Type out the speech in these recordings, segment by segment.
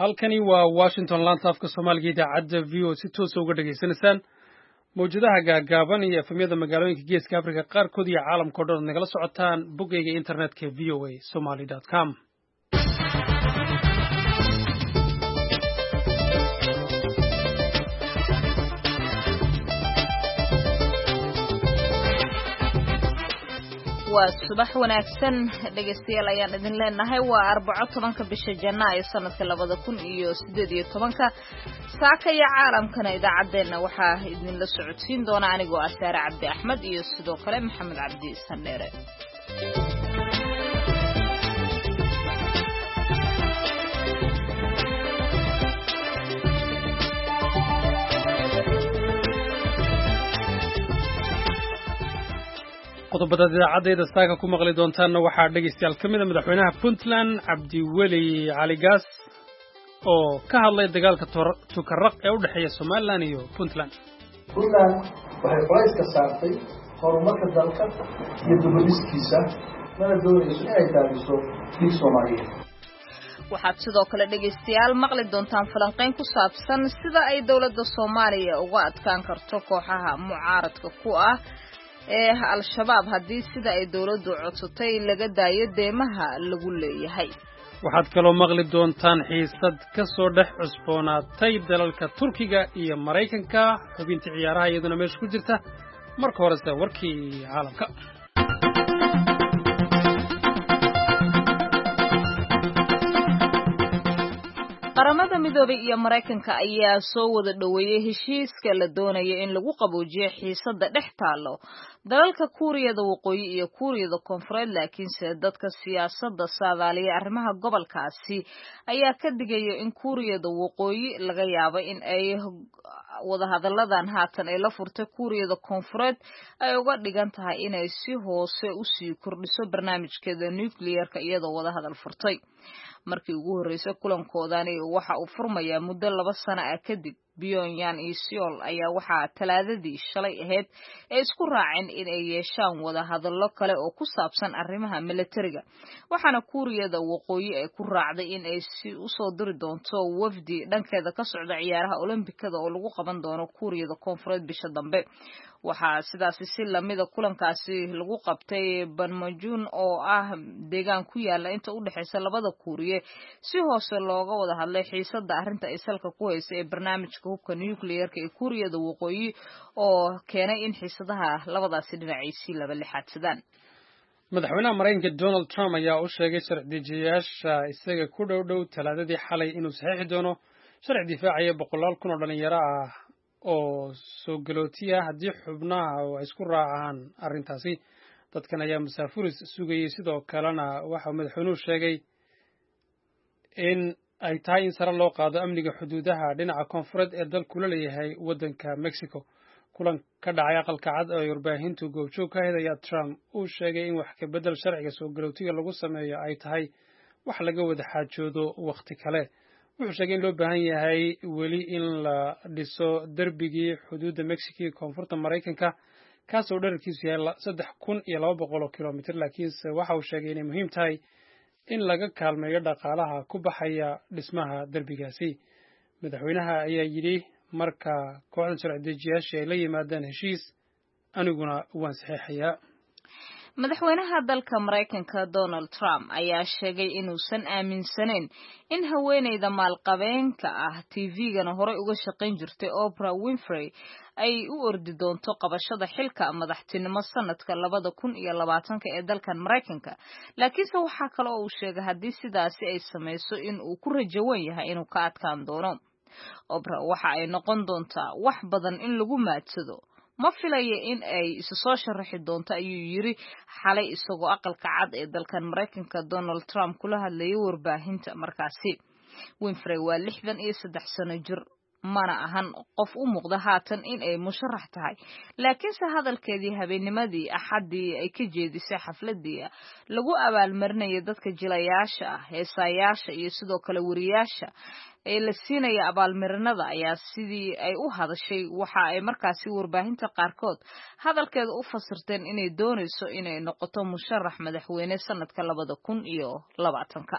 Halkani waa Washington, laanta afka Soomaaliga, idaacadda VOA, si toosa uga dhegaysanaysaan mawjadaha gaagaaban iyo FM-yada magaalooyinka Geeska Africa qaarkood iyo caalamka o dhan ad nagala socotaan boggayga internetka voasomali.com. Waa subax wanaagsan, dhegaystayaal, ayaan idin leenahay. Waa Arbaco, 10-ka bisha Janaayo, sanadka 2018-ka. Saaka iyo caalamkana idaacaddeenna waxaa idinla socodsiin doona anigoo ah Saare Cabdi Axmed iyo sidoo kale Maxamed Cabdi Sandheere. Qodobadaad idaacaddeeda saaka ku maqli doontaanna waxaa, dhegaystayaal, ka mid a madaxweynaha Puntland Cabdiweli Cali Gaas oo ka hadlay dagaalka Tukaraq ee u dhexeeya Somaliland iyo Puntland. Puntland waxay culayska saartay horumarka dalka iyo dubadhiskiisa, mana doonayso inay daadiso dhiig Soomaaliyeed. Waxaad sidoo kale, dhegaystayaal, maqli doontaan falanqayn ku saabsan sida ay dowladda Soomaaliya uga adkaan karto kooxaha mucaaradka ku ah ee Al-Shabaab haddii sida ay dowladdu codsatay laga daayo deemaha lagu leeyahay. Waxaad kaloo maqli doontaan xiisad ka soo dhex cusboonaatay dalalka Turkiga iyo Maraykanka, xubinta ciyaaraha iyaduna meesha ku jirta. Marka horese warkii caalamka. Qaramada Midoobay iyo Maraykanka ayaa soo wada dhoweeyey heshiiska la doonayo in lagu qaboojiyo xiisadda dhex taallo dalalka Kuuriyada Waqooyi iyo Kuuriyada Koonfureed, laakiinse dadka siyaasadda saadaaliya arrimaha gobolkaasi ayaa ka digaya in Kuuriyada Waqooyi laga yaabo in ay wadahadalladan haatan ay la furtay Kuuriyada Koonfureed ay uga dhigan tahay inay si hoose usii kordhiso barnaamijkeeda nuclearka iyadoo wadahadal furtay markii ugu horreysay. Kulankoodani waxa uu furmayaa muddo 2 sano ah kadib. Pyongyang iyo Seoul ayaa waxaa Talaadadii shalay ahayd ay isku raaceen in ay yeeshaan wadahadallo kale oo ku saabsan arrimaha milatariga, waxaana Kuuriyada Waqooyi ay ku raacday in ay si usoo diri doonto wafdi dhankeeda ka socda ciyaaraha Olombikada oo lagu qaban doono Kuuriyada Koonfureed bisha dambe. Waxaa sidaasi si lamida kulankaasi lagu qabtay Banmajun oo ah deegaan ku yaala inta u dhexeysa labada Kuuriye, si hoose looga wada hadlay xiisada arrinta ay salka ku haysa ee barnaamijka hubka nuclearka ee Kuuriyada Waqooyi oo keenay in xiisadaha labadaasi dhinac ay si laba lixaadsadaan. Madaxweynaha Maraykanka Donald Trump ayaa u sheegay sharci-dejiyayaasha isaga ku dhow dhow Talaadadii xalay inuu saxiixi doono sharci difaacaya boqolaal kun oo dhalinyaro ah oo soo galootiya haddii xubnaha oo ay isku raacaan arrintaasi. Dadkan ayaa masaafuris sugayey. Sidoo kalena waxa madaxweynuhu sheegay in ay tahay in sare loo qaado amniga xuduudaha dhinaca koonfureed ee dalku la leeyahay waddanka Mexico. Kulan ka dhacay Aqalka Cad oo ay warbaahintu goobjoog ka ahayd ayaa Trump uu sheegay in wax ka beddel sharciga soo galootiga lagu sameeyo ay tahay wax laga wada xaajoodo wakhti kale. Wuxuu sheegay in loo baahan yahay weli in la dhiso derbigii xuduudda Mexico iyo koonfurta Maraykanka, kaasoo dherarkiisu yahay 3200 oo kilomitr, laakiinse waxa uu sheegay inay muhiim tahay in laga kaalmeeyo dhaqaalaha ku baxaya dhismaha derbigaasi. Madaxweynaha ayaa yidhi: "Marka kooxdan sharci dejiyaashii ay la yimaadaan heshiis, aniguna waan saxiixayaa." Madaxweynaha dalka Maraykanka Donald Trump ayaa sheegay inuusan aaminsanayn in haweeneyda maalqabeenka ah, TV-gana horey uga shaqayn jirtay, Oprah Winfrey, ay u ordi doonto qabashada xilka madaxtinimo sanadka 2020-ka ee dalkan Maraykanka, laakiinse waxaa kale oo uu sheegay haddii sidaasi ay samayso in uu ku rajawan yahay inuu ka adkaan doono. "Oprah waxa ay noqon doontaa wax badan in lagu maadsado. Ma filaya in ay isu soo sharaxi doonto," ayuu yiri xalay isagoo Aqalka Cad ee dalkan Maraykanka Donald Trump kula hadlayay warbaahinta markaasi. Winfrey waa 63 sano jir, mana ahan qof u muuqda haatan in ay musharax tahay, laakiinse hadalkeedii habeennimadii Axaddii ay ka jeedisay xafladii lagu abaalmarinaya dadka jilayaasha ah, heesayaasha iyo sidoo kale wariyaasha ee la siinaya abaalmarinada ayaa sidii ay u hadashay waxa ay markaasi warbaahinta qaarkood hadalkeeda u fasirteen inay doonayso inay noqoto musharax madaxweyne sanadka 2020-ka.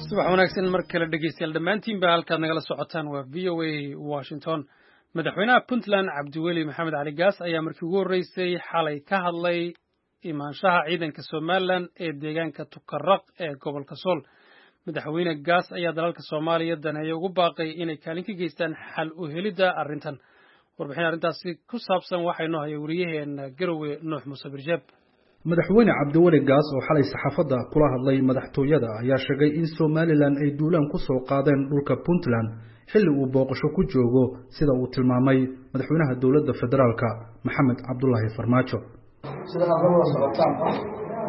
Subax wanaagsan mar kale dhegeystayaal dhammaantiinba. Halkaad nagala socotaan waa VOA Washington. Madaxweynaha Puntland Cabdiweli Maxamed Cali Gaas ayaa markii ugu horreysay xalay ka hadlay imaanshaha ciidanka Somaliland ee deegaanka Tukaraq ee gobolka Sool. Madaxweyne Gaas ayaa dalalka Soomaaliya daneeya ugu baaqay inay kaalin ka geystaan xal u helidda arrintan. Warbixin arrintaasi ku saabsan waxaa inoo haya wariyaheena Garowe, Nuux Muuse Birjeeb. Madaxweyne Cabdiweli Gaas oo xalay saxaafadda kula hadlay madaxtooyada ayaa sheegay in Somaliland ay duulaan ku soo qaadeen dhulka Puntland xilli uu booqasho ku joogo, sida uu tilmaamay madaxweynaha dowladda federaalka Maxamed Cabdulaahi Farmaajo. Sida aad la wada socotaanba,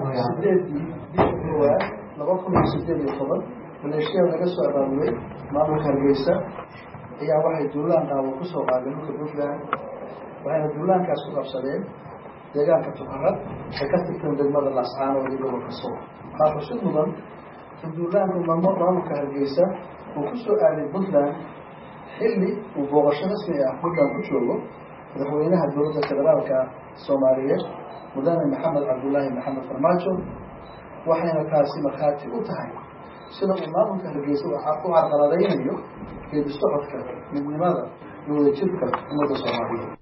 8-dii bishii koowaad 2018, maleeshiyada laga soo abaabulay maamulka Hargeysa ayaa waxay duulaan qaawan ku soo qaadeen dhulka Puntland, waxayna duulaankaas ku qabsadeen deegaanka Tukaraq ay ka tirteen degmada Laascaanood iyo gobolka Sool. Waxaa xusid mudan in duulaanku maamulka Hargeysa uu ku soo aaday Puntland xilli uu booqasho rasmi ah Puntland ku joogo madaxweynaha dowladda federaalka Soomaaliyeed, mudane Maxamed Cabdulaahi Maxamed Farmaajo, waxayna taasi markhaati u tahay sida uu maamulka Hargeysa u carqaladaynayo geedi socodka midnimada iyo wadajirka ummadda Soomaaliyeed.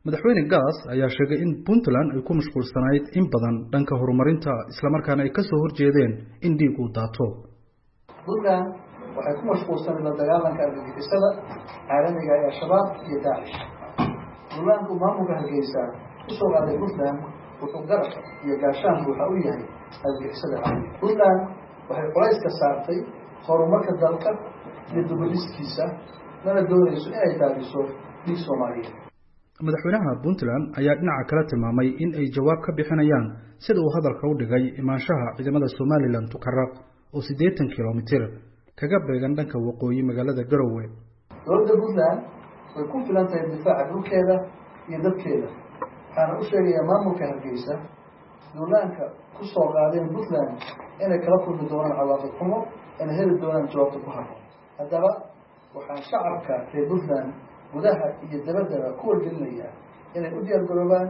Madaxweyne Gaas ayaa sheegay in Puntland ay ku mashquulsanayd in badan dhanka horumarinta, islamarkaana ay kasoo horjeedeen in dhiig uu daato. Puntland waxay ku mashquulsanayd la dagaalanka argagixisada caalamiga ee Al-Shabaab iyo Daacish. Duulaanku maamulka Hargeysa kusoo qaaday Puntland wuxuu garab iyo gaashaan buuxa u yahay argagixisada caalamiga. Puntland waxay culayska saartay horumarka dalka iyo dubadhiskiisa, mana doonayso inay daadiso dhiig Soomaaliyeed. Madaxweynaha Puntland ayaa dhinaca kale tilmaamay in ay jawaab ka bixinayaan, sida uu hadalka u dhigay, imaanshaha ciidamada Somaliland Tukaraq oo 80 kilomitir kaga beegan dhanka waqooyi magaalada Garowe. Dowladda Puntland way ku filan tahay difaaca dhulkeeda iyo dadkeeda, waxaana u sheegayaa maamulka Hargeysa duulaanka ku soo qaadeen Puntland inay kala kulmi doonaan cawaaqib xumo, inay heli doonaan jawaabta ku habboon. Haddaba waxaan shacabka reer Puntland gudaha iyo dabaddaba ku wargelinayaa inay u diyaargaroobaan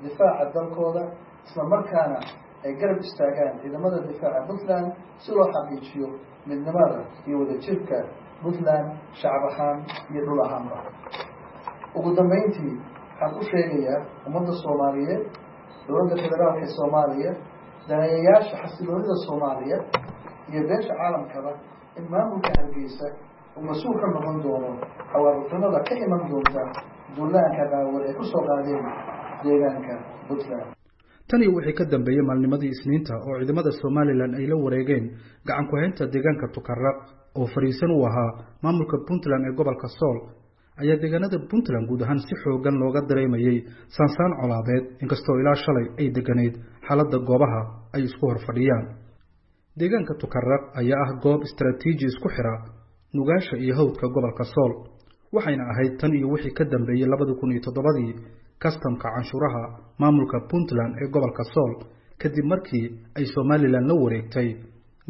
difaaca dalkooda, isla markaana ay garab istaagaan ciidamada difaaca Puntland si loo xaqiijiyo midnimada iyo wadajirka Puntland shacab ahaan iyo dhul ahaanba. Ugu dambeyntii, waxaan u sheegayaa ummadda Soomaaliyeed, dowladda federaalka ee Soomaaliya, daneeyayaasha xasiloonida Soomaaliya iyo beesha caalamkaba in maamulka Hargeysa uu mas-uul ka noqon doono xawaariqnimada ka iman doonta duulaanka qaawan ay ku soo qaadeen deegaanka Puntland. Tan iyo wixii ka dambeeyey maalnimadii Isniinta oo ciidamada Somaliland ay la wareegeen gacan ku-haynta deegaanka Tukaraq oo fariisan u ahaa maamulka Puntland ee gobolka Sool, ayaa deegaanada Puntland guud ahaan si xoogan looga dareemayey saansaan colaadeed, inkastoo ilaa shalay ay deganayd xaaladda goobaha ay isku hor fadhiyaan. Deegaanka Tukaraq ayaa ah goob istaraatiiji isku xira Nugaasha iyo hawdka gobolka Sool, waxayna ahayd tan iyo wixii ka dambeeyey 2007-dii kastamka canshuuraha maamulka Puntland ee gobolka Sool, kadib markii ay Somaliland la wareegtay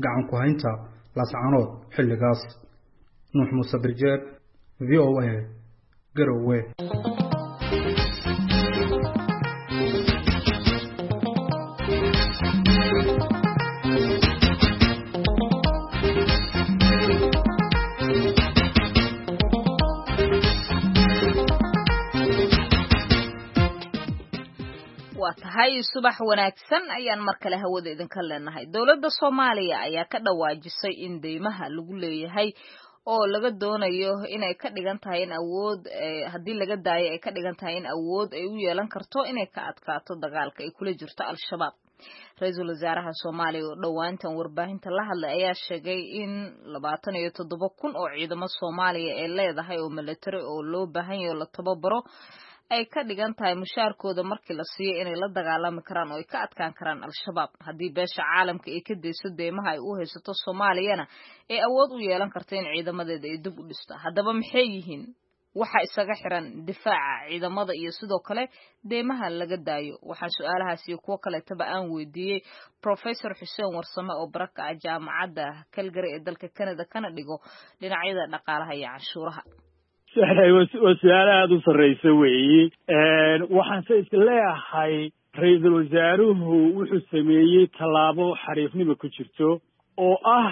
gacan ku haynta Laascanood xilligaas. Nuux Muuse Birjeeb, VOA, Garowe. Waa tahay, subax wanaagsan ayaan mar kale hawada idinka leenahay. Dowladda Soomaaliya ayaa ka dhawaajisay in deymaha lagu leeyahay oo laga doonayo inay ka dhigan tahay in awood haddii laga daayo ay ka dhigan tahay in awood ay u yeelan karto inay ka adkaato dagaalka ay kula jirto Al-Shabaab. Ra-iisul wasaaraha Soomaaliya oo dhowaantan warbaahinta la hadlay ayaa sheegay in 27,000 oo ciidamo Soomaaliya ay leedahay oo military oo loo baahan yahay oo la tababaro ay ka dhigan tahay mushaarkooda markii la siiyo inay la dagaalami karaan oo ay ka adkaan karaan Al-Shabaab. Haddii beesha caalamka ay ka dayso deymaha ay u haysato Soomaaliyana, ay awood u yeelan karto in ciidamadeeda ay dib u dhisto. Haddaba maxay yihiin waxa isaga xiran difaaca ciidamada iyo sidoo kale deymaha laga daayo? Waxaan su-aalahaas iyo kuwo kaleetaba aan weydiiyey Professor Xuseen Warsame oo baraka ah jaamacadda Calgary ee dalka Canada, kana dhigo dhinacyada dhaqaalaha iyo canshuuraha. Waa su-aalo aada u sarreysa weeyi. Waxaanse is leeyahay ra-iisul wasaaruhu wuxuu sameeyey tallaabo xariifnima ku jirto oo ah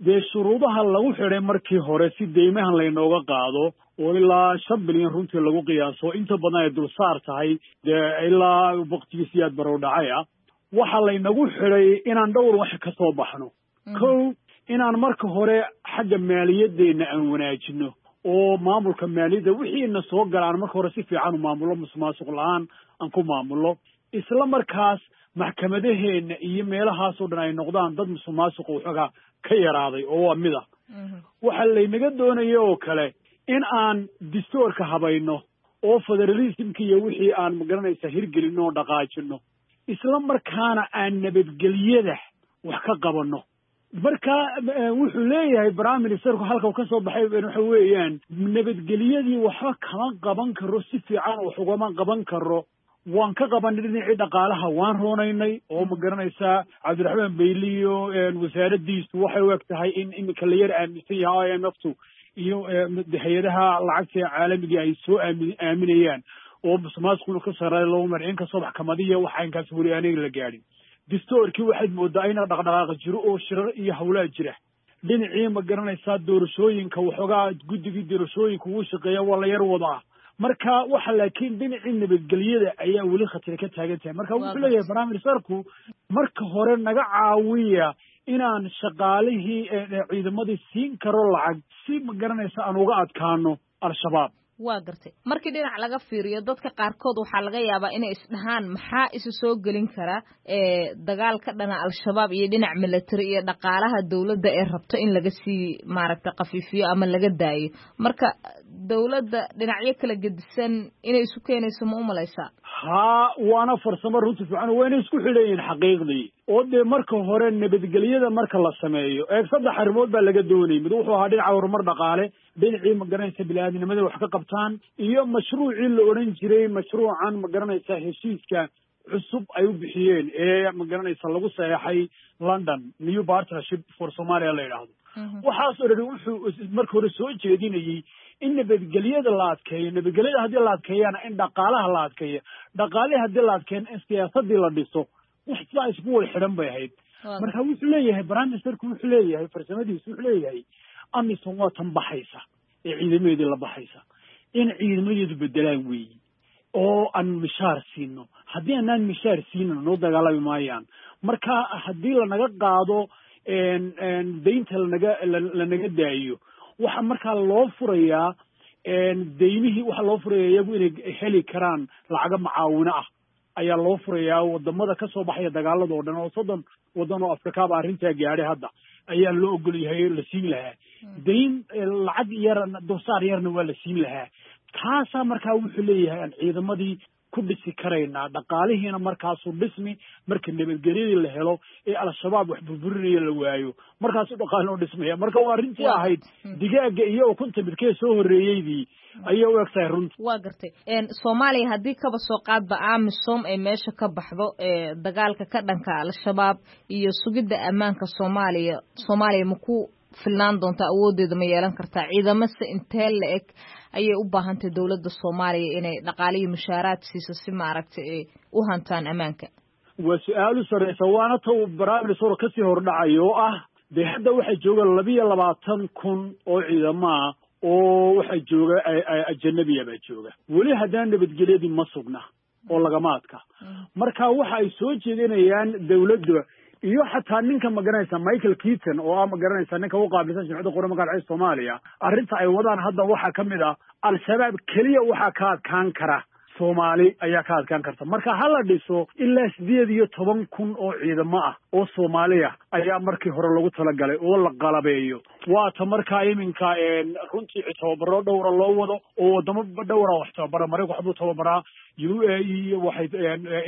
Dee shuruudaha lagu xidhay markii hore si deymahan laynooga qaado oo ilaa 5 bilyan runtii lagu qiyaaso, inta badan ay dulsaar tahay, dee ilaa waqtigii Siyaad Barow dhacay ah, waxaa laynagu xidhay inaan dhowr wax ka soo baxno. Kow, inaan marka hore xagga maaliyadeenna aan wanaajino oo maamulka maaliyadda wixiina soo galaan marka hore si fiican u maamullo, musuqmaasuq la-aan aan ku maamullo, isla markaas maxkamadaheenna iyo meelahaasoo dhan ay noqdaan dad musuqmaasuqa waxoogaa ka yaraaday oo waa mid ah. Waxaa laynaga doonaya oo kale in aan distoorka habayno oo federalismka iyo wixii aan magaranaysa hirgelino oo dhaqaajino, isla markaana aan nabadgelyada wax ka qabanno. Marka wuxuu leeyahay prime ministerku halka uu ka soo baxay waxa weeyaan nabadgelyadii waxba kama qaban karo, si fiican wax ugama qaban karo. Waan ka qabanay dhinacii dhaqaalaha, waan roonaynay oo ma garanaysaa Cabdiraxmaan Beyli iyo wasaaraddiisu waxay u eg tahay in iminka la yar aaminsan yahay IMF tu iyo hay-adaha lacagta caalamiga ay soo aaminayaan oo musuqmaasuquna ka sarreeya loo mar, inkastoo maxkamadiya waxa inkaas weli aniga la gaadhin. Distoorkii waxaad moodaa ina dhaqdhaqaaqa jiro oo shirar iyo hawlaa jira. Dhinacii ma garanaysaa doorashooyinka waxoogaa guddigii doorashooyinka ugu shaqeeya waa la yar wadaa. Marka waxa laakiin dhinacii nabadgelyada ayaa weli khatar ka taagan tahay. Marka wuxuu leeyahay prime ministerku marka hore naga caawiya inaan shaqaalihii ciidamadii siin karo lacag si ma garanaysa aan uga adkaano Al-Shabaab. Waa gartay. Markii dhinac laga fiiriyo, dadka qaarkood waxaa laga yaabaa inay isdhahaan maxaa isu soo gelin kara dagaal ka dhana Al-Shabaab iyo dhinac military iyo dhaqaalaha dowladda ee rabto in laga sii maaragta khafiifiyo ama laga daayo. Marka dowladda dhinacyo kala gedisan inay isu keenayso ma u malaysaa? Haa, waana farsamo runti fiican, wayna isku xidhan yihiin xaqiiqdii. Oo dee marka hore nabadgelyada marka la sameeyo, eeg, saddex arrimood baa laga doonayay. Mid wuxuu ahaa dhinaca horumar dhaqaale, dhinacii ma garanaysa bini-aadnimada wax ka qabtaan, iyo mashruucii la odhan jiray mashruucan ma garanaysa heshiiska cusub ay u bixiyeen ee ma garanaysa lagu saxeexay London, New Partnership for Somalia la yidhaahdo. Waxaas oo dhan wuxuu marka hore soo jeedinayey in nabadgelyada la adkeeyo, nabadgelyada haddii la adkeeyana in dhaqaalaha la adkeeyo, dhaqaalihii haddii la adkeeyana in siyaasadii la dhiso. Wax sidaa isku wada xidhan bay ahayd. Marka wuxuu leeyahay prime ministerku, wuxuu leeyahay farsamadiisu, wuxuu leeyahay AMISOM waa tan baxaysa ee ciidamadeedii la baxaysa, in ciidamadeedu bedelaan weeyi oo aan mishaar siino. Haddii aanaan mishaar siinin noo dagaalami maayaan. Marka haddii lanaga qaado deynta, lanaga daayo, waxa markaa loo furayaa deymihii, waxaa loo furaya iyagu inay heli karaan lacago macaawino ah ayaa loo furayaa wadamada ka soo baxaya dagaalada oo dhan, oo 30 wadan oo Afrikaaba arrintaa gaadhay hadda ayaa loo ogol yahay la siin lahaa deyn, lacag yar dulsaar yarna waa la siin lahaa. Taasaa markaa wuxuu leeyahay aan ciidamadii ku dhisi karaynaa, dhaqaalihiina markaasuu dhismi marka nabadgelyadii la helo ee Al-Shabaab wax burburinaya la waayo, markaasuu dhaqaalino dhismaya. Marka waa arrintii ahayd digaaga iyo ukunta midkee soo horreeyeydii ayay u eg tahay runta. Waa gartay. Soomaaliya haddii kaba soo qaadba AMISOM ay meesha ka baxdo, dagaalka ka dhanka Al-Shabaab iyo sugidda ammaanka Soomaaliya, Soomaaliya ma ku filnaan doontaa? Awoodeeda ma yeelan kartaa? Ciidamase intee la eg ayay u baahantay dowladda Soomaaliya inay dhaqaaliyo mushaaraad siiso si maaragtay ay u hantaan ammaanka? Waa su-aal u sarreysa, waana ta uu prime minister kasii hordhacayo oo ah dee hadda waxaa jooga 22,000 oo ciidamo ah oo waxaa jooga ajanabiya baa jooga weli, haddana nabadgelyadii ma sugna oo lagama adka. Marka waxa ay soo jeedinayaan dowladda iyo xataa ninka magaranaysa Michael Keaton oo ah magaranaysa ninka u qaabilsan Jimciyadda Quruumaha Ka Dhexeysa Soomaaliya, arrinta ay wadaan hadda waxaa ka mid ah Al-Shabaab keliya waxaa ka adkaan kara Soomaali ayaa ka adkaan karta. Marka ha la dhiso ilaa 18,000 oo ciidamo ah oo Soomaaliya ayaa markii hore lagu talagalay oo la qalabeeyo. Waata markaa iminka runtii tababaro dhowra loo wado oo wadamo dhowra wax tababara. Maraykan waxbuu tababaraa, UAE waxay,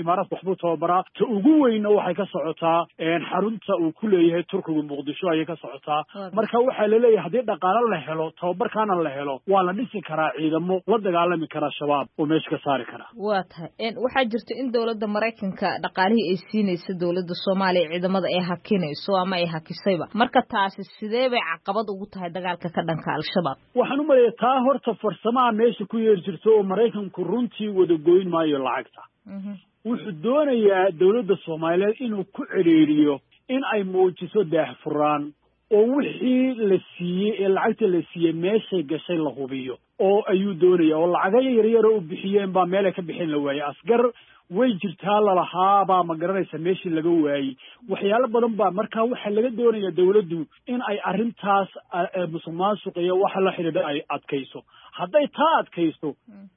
Imaaraadka waxbuu tababaraa, ta ugu weynna waxay ka socotaa xarunta uu ku leeyahay Turkigu Muqdisho ayay ka socotaa. Marka waxaa laleeyahay haddii dhaqaalo la helo, tababarkaana la helo, waa la dhisi karaa ciidamo la dagaalami kara Shabaab oo meesha ka saari kara. Waa tahay. Waxaa jirta in dowladda Maraykanka dhaqaalihii ay siinaysa dowladda Soomaaliya ciidamada ay hakinayso ama ay hakisayba. Marka taasi sidee bay caqabad ugu tahay dagaalka ka dhanka Al-Shabaab? Waxaan u maleeya taa horta farsamaha meesha ku yeeri jirto oo Maraykanku runtii wada goyn maayo lacagta. Wuxuu doonayaa dowladda Soomaaliyeed inuu ku cedhiiriyo in ay muujiso daahfuraan Oo wixii la siiyey ee lacagta la siiyey meeshay gashay la hubiyo oo ayuu doonaya, oo lacagayo yaryaro u bixiyeen baa meelay ka bixin la waayey. Asgar way jirtaa lalahaabaa, ma garanaysa, meeshii laga waayey. Waxyaalo badan baa marka waxaa laga doonaya dawladdu in ay arrintaas musuq maasuq iyo waxa la xidhiidha ay adkayso. Hadday taa adkayso,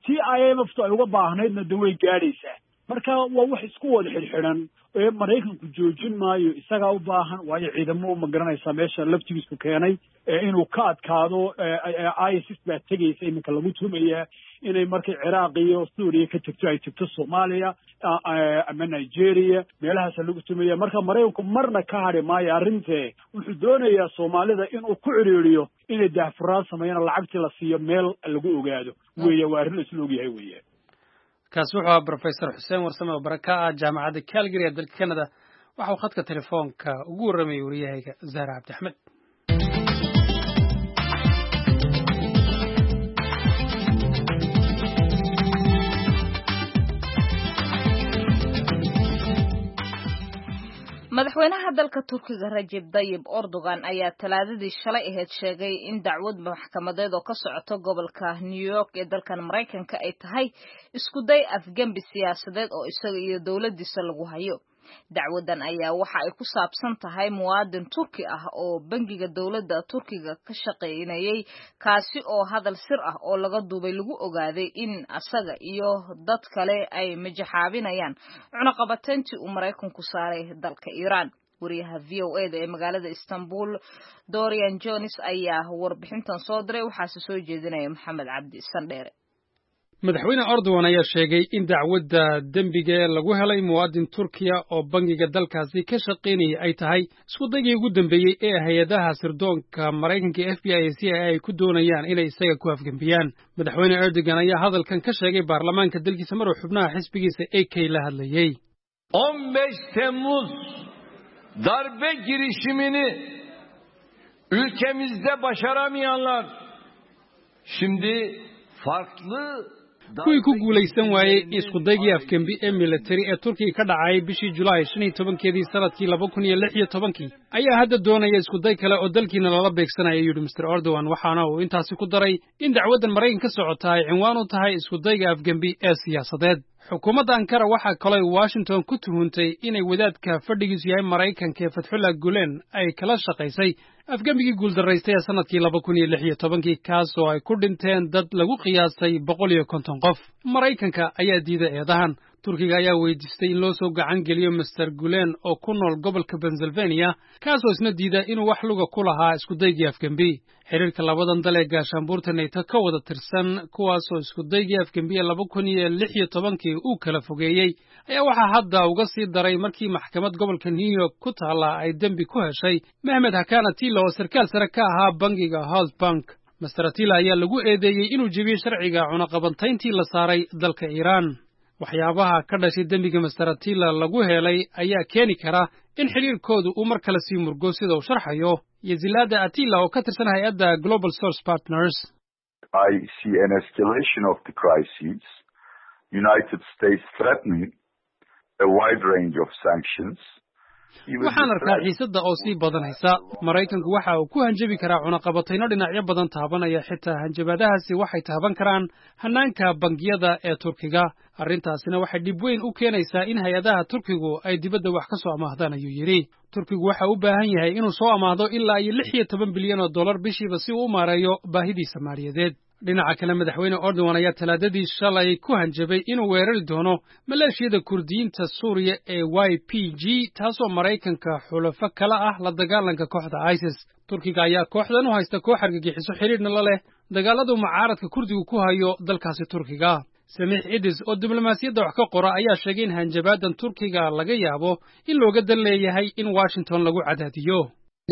tii IMF ay uga baahnaydna de way gaadhaysaa. Marka waa wax isku wada xidhxidhan ee Maraykanku joojin maayo, isagaa u baahan, waayo ciidamo, ma garanaysaa, meesha laftigiisu keenay inuu ka adkaado ISIS baa tegaysa iminka lagu tumayaa inay markay Ciraaq iyo Suuriya ka tegto ay tegto Soomaaliya ama Nigeria, meelahaasa lagu tumaya. Marka Maraykanku marna ka hadhi maayo arrintee, wuxuu doonayaa Soomaalida inuu ku cidhiiriyo inay daahfuraan sameeyaan, lacagtii la siiyo meel lagu ogaado weeye. Waa arrin la isla ogyahay weeye. Kaasi wuxuu ahaa Professor Xuseen Warsame oo bare ka ah Jaamacadda Calgary ee dalka Canada. Waxa uu khadka telefoonka ugu warramayay wariyahayga Zahra Cabdi Axmed. Madaxweynaha dalka Turkiga Rajeb Dayib Erdogan ayaa Talaadadii shalay ahayd sheegay in dacwad maxkamadeed oo ka socoto gobolka New York ee dalkan Maraykanka ay tahay isku day afgembi siyaasadeed oo isaga iyo dowladdiisa lagu hayo. Dacwadan ayaa waxa ay ku saabsan tahay muwaadin Turki ah oo bangiga dowladda Turkiga ka shaqaynayay, kaasi oo hadal sir ah oo laga duubay lagu ogaaday in asaga iyo dad kale ay majaxaabinayaan cunaqabatayntii uu Maraykanku saaray dalka Iiraan. Wariyaha VOA da ee magaalada Istanbul Dorian Jones ayaa warbixintan soo diray, waxaase soo jeedinaya Maxamed Cabdi Sandheere. Madaxweyne Erdogan ayaa sheegay in dacwadda dembiga ee lagu helay muwaadin Turkiya oo bangiga dalkaasi ka shaqaynayay ay tahay isku daygii ugu dambeeyey ee hay-adaha sirdoonka Maraykanka FBI iyo CIA ay ku doonayaan inay isaga ku afgembiyaan. Madaxweyne Erdogan ayaa hadalkan ka sheegay baarlamaanka dalkiisa maruu xubnaha xisbigiisa AK la hadlayey. 15 Temmuz darbe girişimini ülkemizde başaramayanlar şimdi farklı Kuwii ku guulaysan waayey iskudaygii afgembi ee militari ee Turkiga ka dhacay bishii Julaay 15-keedii sanadkii 2016-kii ayaa hadda doonaya iskuday kale oo dalkiina lala beegsanaya, yidhi Mister Erdogan. Waxaana uu intaasi ku daray in dacwaddan Maraykan ka socota ay cinwaan u tahay iskudayga afgembi ee siyaasadeed. Xukuumadda Ankara waxaa kaloo Washington ku tuhuntay inay wadaadka fadhigiisu yahay Maraykanka ee Fatxullah Gulen ay kala shaqaysay afgembigii guuldaraystay ee sanadkii 2016-kii, kaas oo ay ku dhinteen dad lagu qiyaasay 150 qof. Maraykanka ayaa diiday eedahan. Turkiga ayaa weydiistay in loo soo gacan geliyo Mister Gulen oo ku nool gobolka Pennsylvania, kaasoo isna diida inuu wax luga ku lahaa iskudaygii afgembi. Xiriirka labadan dal ee gaashaanbuurta NATO ka wada tirsan, kuwaasoo iskudaygii afgembi ee 2016-kii uu kala fogeeyey, ayaa waxaa hadda uga sii daray markii maxkamad gobolka New York ku taalla ay dembi ku heshay Mehmet Hakan Atilla oo sarkaal sare ka ahaa bangiga Halkbank. Mister Atilla ayaa lagu eedeeyey inuu jebiyey sharciga cunaqabantayntii la saaray dalka Iiraan. Waxyaabaha ka dhashay dembiga Mister Atilla lagu helay ayaa keeni kara in xidhiirkoodu uu mar kale sii murgo, sida uu sharxayo Yeşilada Atilla oo ka tirsan hay-adda Global Source Partners. I see an escalation of the crisis, United States threatening a wide range of sanctions. Waxaan arkaa xiisadda oo sii badanaysa. Maraykanku waxa uu ku hanjabi karaa cunaqabatayno dhinacyo badan taabanaya. Xitaa hanjabaadahaasi waxay taaban karaan hannaanka bangiyada ee Turkiga. Arrintaasina waxay dhib weyn u keenaysaa in hay-adaha Turkigu ay dibadda wax ka soo amaahdaan, ayuu yidhi. Turkigu waxa u baahan yahay inuu soo amaahdo ilaa iyo 16 bilyan oo dollar bishiiba si uu u maareeyo baahidiisa maaliyadeed. Dhinaca kale, madaxweyne Erdogan ayaa Talaadadii shalay ku hanjabay inuu weerari doono maleeshiyada Kurdiyiinta Suuriya ee YPG, taasoo Maraykanka xulafo kala ah la dagaalanka kooxda ISIS. Turkiga ayaa kooxdan u haysta koox argagixiso xidhiidhna la leh dagaaladu mucaaradka Kurdigu ku hayo dalkaasi Turkiga. Samiix Idis oo diblomaasiyadda wax ka qora ayaa sheegay in hanjabaadan Turkiga laga yaabo in looga dan leeyahay in Washington lagu cadaadiyo.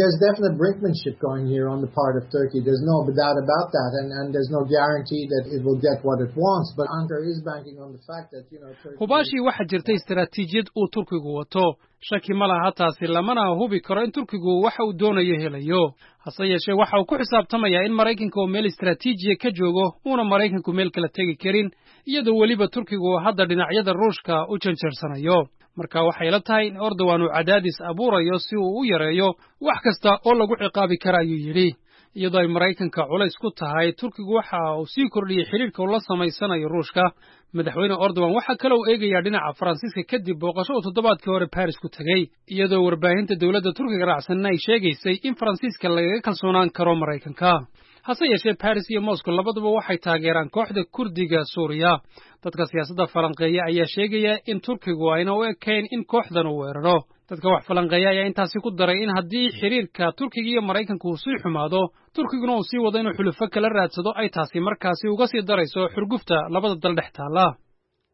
There's definite brinkmanship going here on the part of Turkey. There's no doubt about that, and there's no guarantee that it will get what it wants. But Ankara is banking on the fact that Turkey. Hubaashii waxaa jirta istaraatiijiyad uu Turkigu wato. Shaki ma laha taasi, lamana hubi karo in Turkigu waxa uu doonayo helayo. Hase yeeshee, waxa uu ku xisaabtamayaa in Maraykanka oo meel istaraatiijiya ka joogo uuna Maraykanku meel kala tegi karin, iyadoo weliba Turkigu hadda dhinacyada Ruushka u janjeersanayo. Marka waxay la tahay in Erdogan uu cadaadis abuurayo si uu u yareeyo wax kasta oo lagu ciqaabi kara, ayuu yidhi. Iyadoo ay Maraykanka culays ku tahay, Turkigu waxa uu sii kordhiyey xidhiirka uu la samaysanayo Ruushka. Madaxweyne Erdogan waxaa kale uu eegayaa dhinaca Faransiiska kadib booqasho uu toddobaadkii hore Baris ku tegey, iyadoo warbaahinta dowladda Turkiga raacsanna ay sheegaysay in Faransiiska lagaga kalsoonaan karo Maraykanka. Hase yeeshee, Baris iyo Moscow labaduba waxay taageeraan kooxda Kurdiga Suuriya. Dadka siyaasadda falanqeeya ayaa sheegaya in Turkigu ayna u ekayn in kooxdan uu weeraro. Dadka wax falanqeeya ayaa intaasi ku daray in haddii xiriirka Turkiga iyo Maraykanka uu sii xumaado, Turkiguna uu sii wado inuu xulufo kala raadsado, ay taasi markaasi uga sii darayso xurgufta labada dal dhex taalla.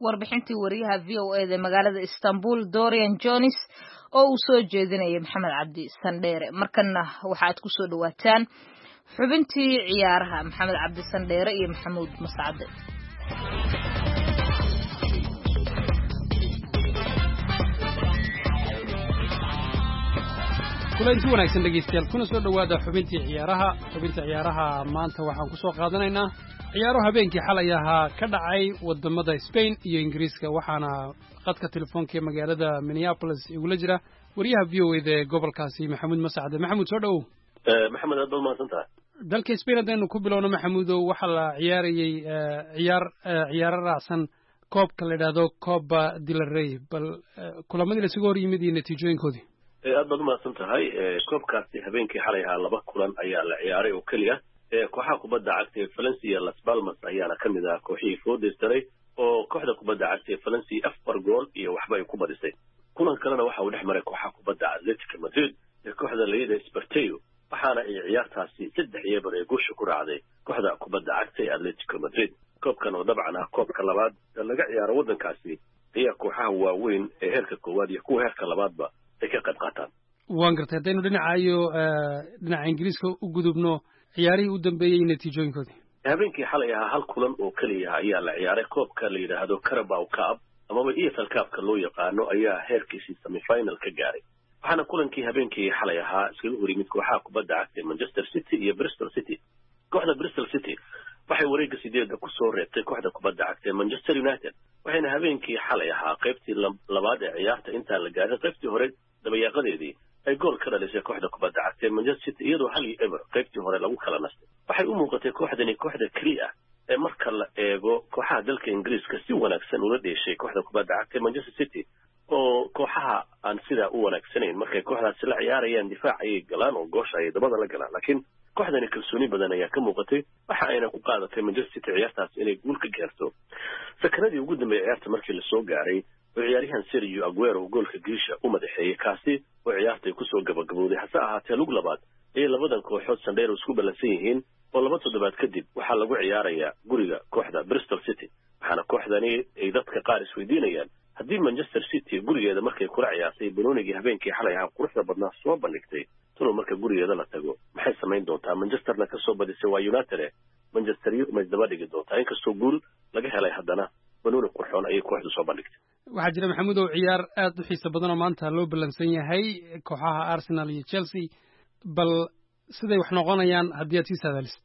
Warbixintii wariyaha VOA da magaalada Istanbul, Dorian Jones, oo uu soo jeedinayay Maxamed Cabdi Sandheere. Markanna waxaad ku soo dhawaataan xubintii ciyaaraha, Maxamed Cabdi Sandheere iyo Maxamuud Mascade. Kulanti wanaagsan, dhegeystayaal, kuna soo dhowaada xubintii ciyaaraha. Xubinta ciyaaraha maanta waxaan ku soo qaadanaynaa ciyaaro habeenkii xalay ahaa ka dhacay wadamada Spain iyo Ingiriiska, waxaana qadka telefoonka ee magaalada Minneapolis igula jira wariyaha VOA da ee gobolkaasi, Maxamuud Mascade. Maxamuud, soo dhowow. Maxamed, aad baad mahadsan tahay. Dalka Spain haddaynu ku bilowno, Maxamuudow, waxaa la ciyaarayey ciyaar ciyaaro raacsan koobka la yidhaahdo Copa del Rey. Bal kulamadii laisugu hor yimid iyo natiijooyinkoodii. Aad baad umahadsan tahay. Koobkaasi habeenkii xalay ahaa laba kulan ayaa la ciyaaray oo keliya. Kooxaha kubadda cagta ee Valencia, Las Palmas ayaana ka mid ah kooxihii foodeystaray, oo kooxda kubadda cagta ee Valencia 4 gool iyo waxba ay ku badisay. Kulan kalena waxa uu dhex maray kooxaha kubadda Atletico Madrid ee kooxda layida Sporteo, waxaana ay ciyaartaasi 3-0 ee guusha ku raacday kooxda kubadda cagta ee Atletico Madrid. Koobkan oo dabcan ah koobka labaad ee laga ciyaaro waddankaasi ayaa kooxaha waaweyn ee heerka koowaad iyo kuwa heerka labaadba ay ka qayb qaataan. Waan gartay. Haddaynu dhinacayo dhinaca Ingiriiska u gudubno, ciyaarihii u dambeeyey natiijooyinkoodii. Habeenkii xalay ahaa hal kulan oo keliya ayaa la ciyaaray. Koobka la yidhaahdo Carabao Cup amaba EFL Cupka loo yaqaano ayaa heerkiisii semifinal ka gaaray, waxaana kulankii habeenkii xalay ahaa iskaga hor yimid kooxaha kubadda cagta ee Manchester City iyo Bristol City. Kooxda Bristol City waxay wareegga sideedda kusoo reebtay kooxda kubadda cagta ee Manchester United, waxayna habeenkii xalay ahaa qaybtii labaad ee ciyaarta intaan la gaarin qaybtii hore dabayaaqadeedii ay gool ka dhalisay kooxda kubadda cagta ee Manchester City, iyadoo 1-0 qaybtii hore lagu kala nastay. Waxay u muuqatay kooxdani kooxda keliya ah ee marka la eego kooxaha dalka Ingiriiska si wanaagsan ula dheeshay kooxda kubadda cagta ee Manchester City, oo kooxaha aan sidaa u wanaagsanayn markay kooxdaasi la ciyaarayaan difaac ayay galaan oo goosha ayay dabada la galaan, laakiin kooxdani kalsooni badan ayaa ka muuqatay. Waxa ayna ku qaadatay Manchester City ciyaartaas inay guul ka gaarto sakanadii ugu dambeeyay ciyaarta markii lasoo gaaray, oo ciyaaryahan Sergio Aguero goolka giisha u madaxeeyey, kaasi oo ciyaartay kusoo gabagabowday. Hase ahaatee, lug labaad ayay labadan kooxood, Sandheer, isku ballansan yihiin, oo 2 toddobaad kadib waxaa lagu ciyaarayaa guriga kooxda Bristol City. Waxaana kooxdani ay dadka qaar isweydiinayaan, haddii Manchester City gurigeeda markay kula ciyaartay banoonigii habeenkii xalay ahaa quruxda badnaa soo bandhigtay, talow marka gurigeeda la tago maxay samayn doontaa? Manchesterna kasoo badisay waa United, Manchester ma isdaba dhigi doontaa? Inkastoo guul laga helay, haddana banooni qurxoon ayay kooxdu soo bandhigtay. Waxaa jira, Maxamuudow, ciyaar aad u xiiso badan oo maanta loo ballansan yahay, kooxaha Arsenal iyo Chelsea. Bal siday wax noqonayaan haddii aad sii saadaalisid.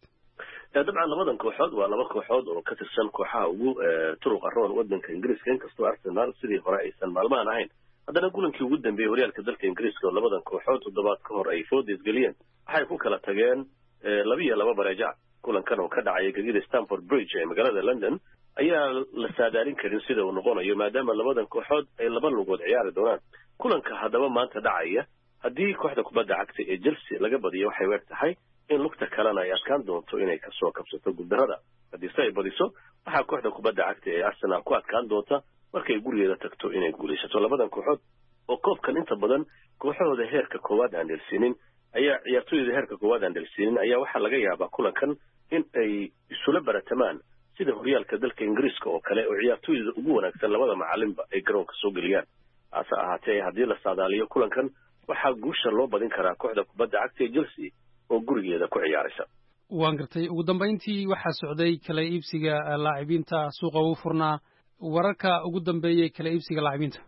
Dabcan labadan kooxood waa laba kooxood oo ka tirsan kooxaha ugu turuqa roon waddanka Ingiriiska. Inkastoo Arsenal sidii hore aysan maalmahan ahayn, haddana kulankii ugu dambeeyey horyaalka dalka Ingiriiska oo labadan kooxood toddobaad ka hor ay fooda isgeliyeen, waxay ku kala tageen 2-2 bareejac. Kulankan oo ka dhacaya gegida Stamford Bridge ee magaalada London ayaa la saadaalin karin sida uu noqonayo, maadaama labadan kooxood ay laba lugood ciyaari doonaan. Kulanka haddaba maanta dhacaya, haddii kooxda kubadda cagta ee Chelsea laga badiyo, waxay u eg tahay in lugta kalena ay adkaan doonto inay kasoo kabsato guuldarrada. Haddiise ay badiso, waxaa kooxda kubadda cagta ee Arsenal ku adkaan doonta markay gurigeeda tagto inay guulaysato. Labadan kooxood oo koobkan inta badan kooxahooda heerka koowaad aan dhelsiinin ayaa ciyaartooyda heerka koowaad aan dhelsiinin ayaa waxaa laga yaabaa kulankan in ay isula baratamaan sida horyaalka dalka Ingiriiska oo kale, oo ciyaartooyda ugu wanaagsan labada macalinba ay garoonka soo geliyaan. Hase ahaatee, haddii la saadaaliyo kulankan, waxaa guusha loo badin karaa kooxda kubadda cagta ee Chelsea oo gurigeeda ku ciyaaraysa. Waan gartay. Ugu dambayntii, waxaa socday kala iibsiga laacibiinta, suuqa ugu furnaa. Wararka ugu dambeeyey kala iibsiga laacibiinta.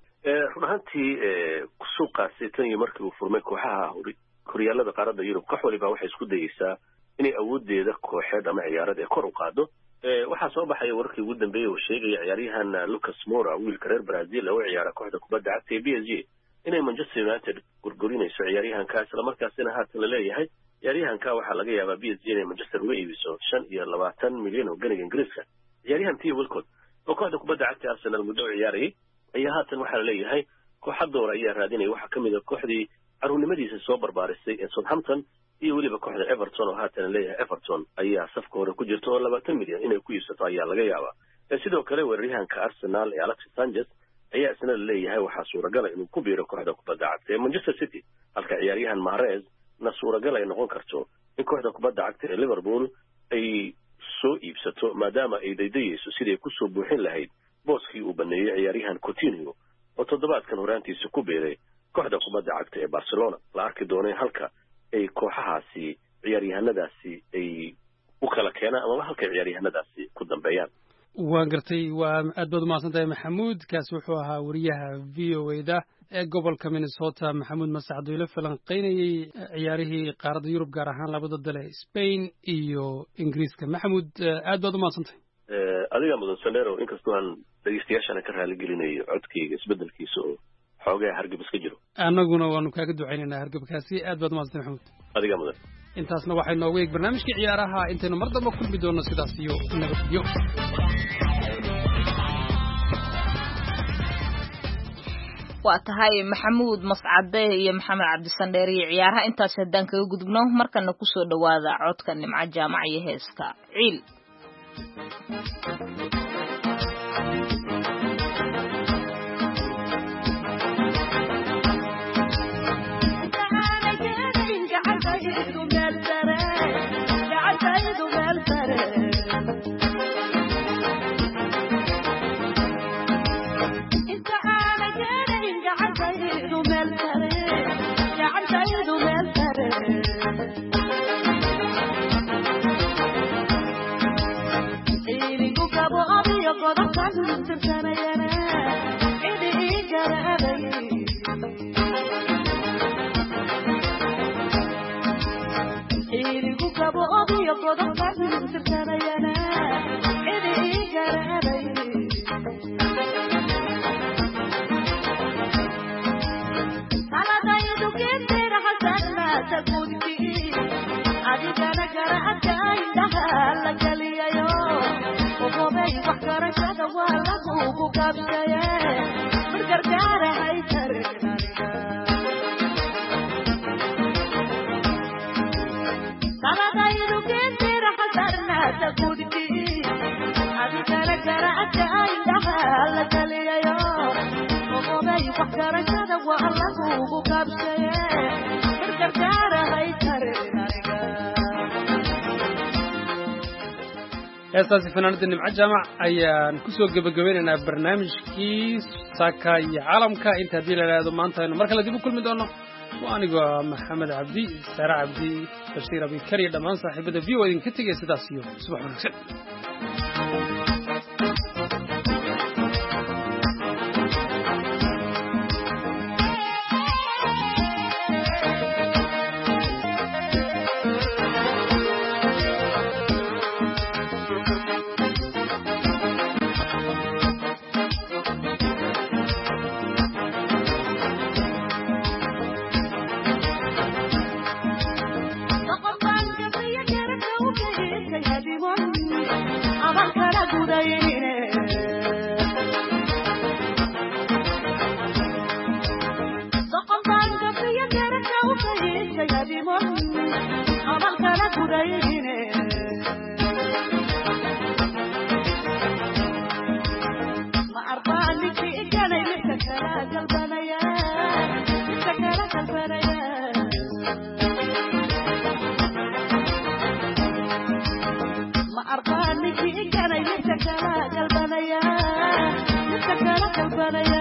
Run ahaantii, suuqaasi tan iyo markii uu furmay, kooxaha horyaalada qaaradda Yurub koox waliba waxay isku dayeysaa inay awooddeeda kooxeed ama ciyaareed ee kor u qaado. Waxaa soo baxaya wararkii ugu dambeeyey oo sheegaya ciyaaryahan Lucas Moura, wiilka reer Brazil oo u ciyaara kooxda kubadda cagta ee PSG, inay Manchester United gorgorinayso ciyaaryahanka, islamarkaasina haatan la leeyahay ciyaaryahanka waxaa laga yaabaa PSG inay Manchester uga iibiso 25 milyan oo ganiga Ingiriiska. Ciyaaryahan Theo Walcott oo kooxda kubadda cagta Arsenal muddo u ciyaarayay ayaa haatan waxaa la leeyahay kooxa door ayaa raadinaya. Waxaa ka mid a kooxdii caruurnimadiisa soo barbaarisay ee Southampton iyo weliba kooxda Everton, oo haatan leeyahay Everton ayaa safka hore ku jirta oo 20 milyan inay ku iibsato ayaa laga yaabaa. Sidoo kale weeraryahanka Arsenal ee Alexis Sanchez ayaa isna la leeyahay waxaa suuragala inuu ku biiro kooxda kubadda cagta ee Manchester City, halka ciyaaryahan Mahrez na suuragal ay noqon karto in kooxda kubadda cagta ee Liverpool ay soo iibsato, maadaama ay daydayeyso sidii kusoo buuxin lahayd booskii uu baneeyey ciyaaryahan Coutinho oo toddobaadkan horaantiisa ku biiray kooxda kubadda cagta ee Barcelona. La arki doonay halka ay kooxahaasi ciyaaryahanadaasi ay u kala keenaan amaba halkay ciyaaryahanadaasi ku dambeeyaan. Waan gartay, waa aad baad umahadsan tahay Maxamuud. Kaasi wuxuu ahaa wariyaha V O A da ee gobolka Minnesota, Maxamuud Masacad, oo ila falanqeynayey ciyaarihii qaaradda Yurub, gaar ahaan labada dale Spain iyo Ingiriiska. Maxamuud, aad baad umahadsan tahay. Adigaa mudan Sandero, inkastoo aan dhegeystayaashana ka raaligelinayo codkayga isbedelkiisa oo xoogaa hargab iska jiro. Annaguna waanu kaaga ducaynaynaa hargabkaasi. Aad baad umahadsan tahay Maxamuud. Adigaa mudan. Intaasna waxay noogu eeg barnaamijkii ciyaaraha. Intaynu mar damba kulmi doonno, sidaas iyo nabadgelyo. Waa tahay Maxamuud Mascade iyo Maxamed Cabdisandheer iyo ciyaaraha intaas haddaan kaga gudubno, markana kusoo dhowaada codka Nimco Jaamac iyo heeska Ciil. Heestaasi fanaanada Nimco Jaamac ayaan kusoo gebagabeynaynaa barnaamijkii saaka iyo caalamka. Inta haddii la idhaahdo maanta aynu mar kale dib u kulmi doono, waa anigoo Maxamed Cabdi, Saare Cabdi, Bashiir Abikar iyo dhammaan saaxiibada V O idinka tegaya sidaas iyo subax wanaagsan. Kalbanaya.